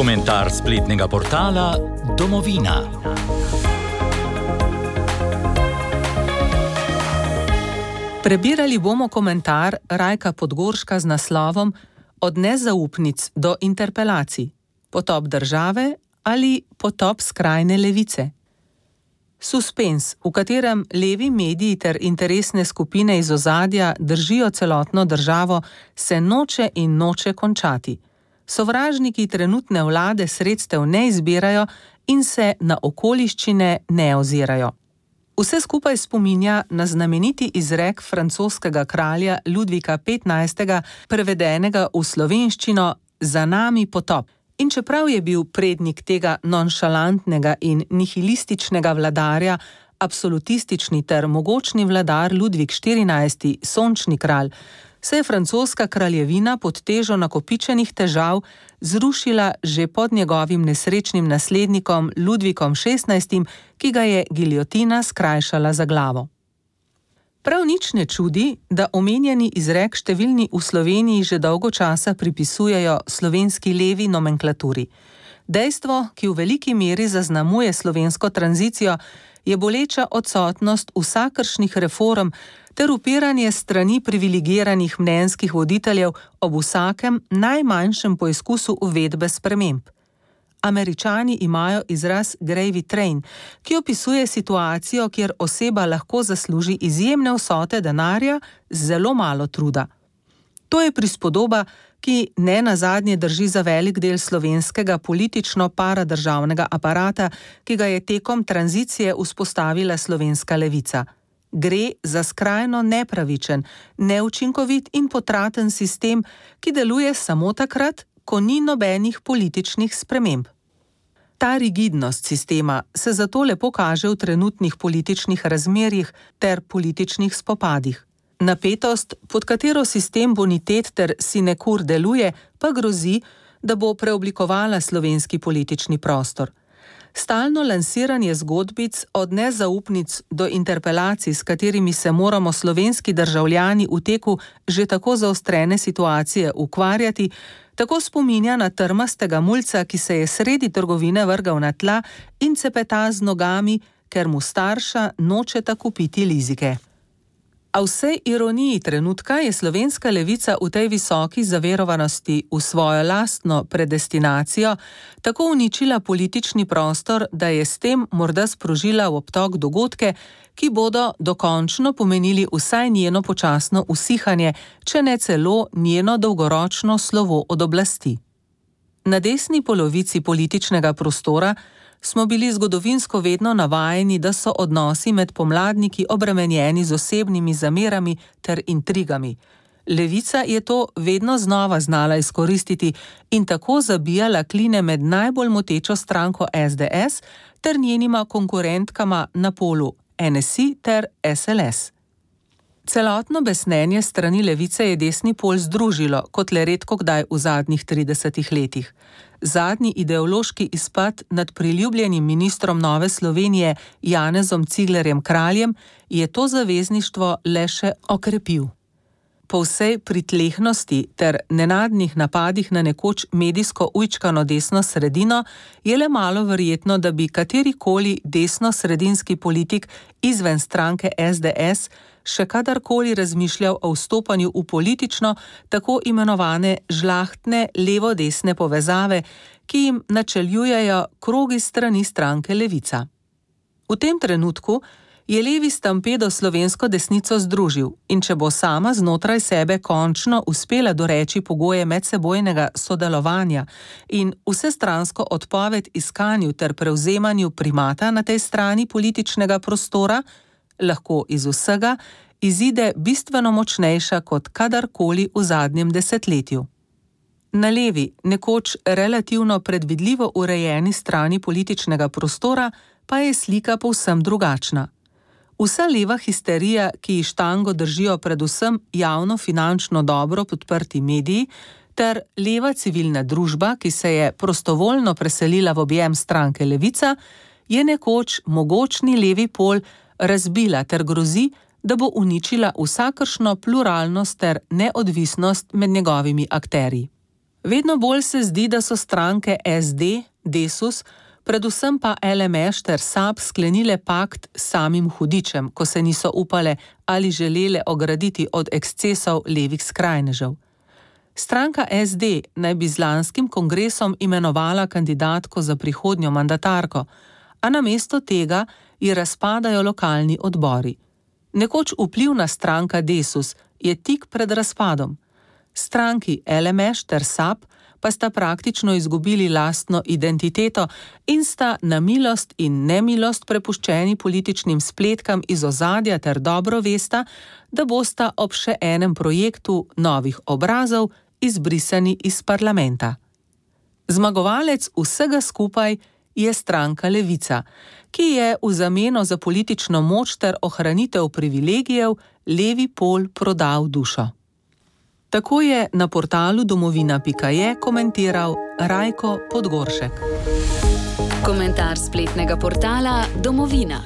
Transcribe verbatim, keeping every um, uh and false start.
Komentar spletnega portala Domovina. Prebirali bomo komentar Rajka Podgorška z naslovom Od nezaupnic do interpelacij. Potop države ali potop skrajne levice. Suspens, v katerem levi mediji ter interesne skupine iz ozadja držijo celotno državo, se noče in noče končati. Sovražniki trenutne vlade sredstev ne izbirajo in se na okoliščine ne ozirajo. Vse skupaj spominja na znameniti izrek francoskega kralja Ludvika petnajstega, prevedenega v slovenščino Za nami potop. In čeprav je bil prednik tega nonšalantnega in nihilističnega vladarja, absolutistični ter mogočni vladar Ludvik štirinajsti, sončni kralj, se je francoska kraljevina pod težo nakopičenih težav zrušila že pod njegovim nesrečnim naslednikom Ludvikom šestnajstim, ki ga je giljotina skrajšala za glavo. Prav nič ne čudi, da omenjeni izrek številni v Sloveniji že dolgo časa pripisujejo slovenski levi nomenklaturi. Dejstvo, ki v veliki meri zaznamuje slovensko tranzicijo, je boleča odsotnost vsakršnih reform ter upiranje strani privilegiranih mnenjskih voditeljev ob vsakem najmanjšem poizkusu uvedbe sprememb. Američani imajo izraz gravy train, ki opisuje situacijo, kjer oseba lahko zasluži izjemne vsote denarja z zelo malo truda. To je prispodoba, ki ne nazadnje drži za velik del slovenskega politično-paradržavnega aparata, ki ga je tekom tranzicije vzpostavila slovenska levica. Gre za skrajno nepravičen, neučinkovit in potraten sistem, ki deluje samo takrat, ko ni nobenih političnih sprememb. Ta rigidnost sistema se zato lepo kaže v trenutnih političnih razmerjih ter političnih spopadih. Napetost, pod katero sistem bonitet ter sinekur deluje, pa grozi, da bo preoblikovala slovenski politični prostor. Stalno lansiranje zgodbic od nezaupnic do interpelacij, s katerimi se moramo slovenski državljani v teku že tako zaostrene situacije ukvarjati, tako spominja na trmastega mulca, ki se je sredi trgovine vrgal na tla in cepeta z nogami, ker mu starša nočeta kupiti lizike. A vsej ironiji trenutka je slovenska levica v tej visoki zaverovanosti v svojo lastno predestinacijo tako uničila politični prostor, da je s tem morda sprožila v obtok dogodke, ki bodo dokončno pomenili vsaj njeno počasno usihanje, če ne celo njeno dolgoročno slovo od oblasti. Na desni polovici političnega prostora smo bili zgodovinsko vedno navajeni, da so odnosi med pomladniki obremenjeni z osebnimi zamerami ter intrigami. Levica je to vedno znova znala izkoristiti in tako zabijala kline med najbolj motečo stranko es de es ter njenima konkurentkama na polu en es i ter es el es. Celotno besnenje strani levice je desni pol združilo, kot le redko kdaj v zadnjih tridesetih letih. Zadnji ideološki izpad nad priljubljenim ministrom Nove Slovenije Janezom Ciglerjem Kraljem je to zavezništvo le še okrepil. Po vsej pritlehnosti ter nenadnih napadih na nekoč medijsko ujčkano desno sredino je le malo verjetno, da bi katerikoli desno-sredinski politik izven stranke es de es še kadarkoli razmišljal o vstopanju v politično tako imenovane žlahtne levo-desne povezave, ki jim načeljujejo krogi strani stranke Levica. V tem trenutku je levi stampedo slovensko desnico združil in če bo sama znotraj sebe končno uspela doreči pogoje medsebojnega sodelovanja in vsestransko odpoved iskanju ter prevzemanju primata na tej strani političnega prostora, lahko iz vsega izide bistveno močnejša kot kadarkoli v zadnjem desetletju. Na levi, nekoč relativno predvidljivo urejeni strani političnega prostora pa je slika povsem drugačna. Vsa leva histerija, ki ji štango držijo predvsem javno-finančno dobro podprti mediji, ter leva civilna družba, ki se je prostovoljno preselila v objem stranke Levica, je nekoč mogočni levi pol razbila ter grozi, da bo uničila vsakršno pluralnost ter neodvisnost med njegovimi akterji. Vedno bolj se zdi, da so stranke S D, Desus, predvsem pa L M Š ter S A B sklenile pakt s samim hudičem, ko se niso upale ali želele ograditi od ekscesov levih skrajnežev. Stranka S D naj bi z lanskim kongresom imenovala kandidatko za prihodnjo mandatarko, a namesto tega ji razpadajo lokalni odbori. Nekoč vplivna stranka Desus je tik pred razpadom. Stranki L M Š ter S A B pa sta praktično izgubili lastno identiteto in sta na milost in nemilost prepuščeni političnim spletkam iz ozadja ter dobro vesta, da bosta ob še enem projektu novih obrazov izbrisani iz parlamenta. Zmagovalec vsega skupaj je stranka Levica, ki je v zameno za politično moč ter ohranitev privilegijev levi pol prodal dušo. Tako je na portalu domovina pika je komentiral Rajko Podgoršek. Komentar spletnega portala Domovina.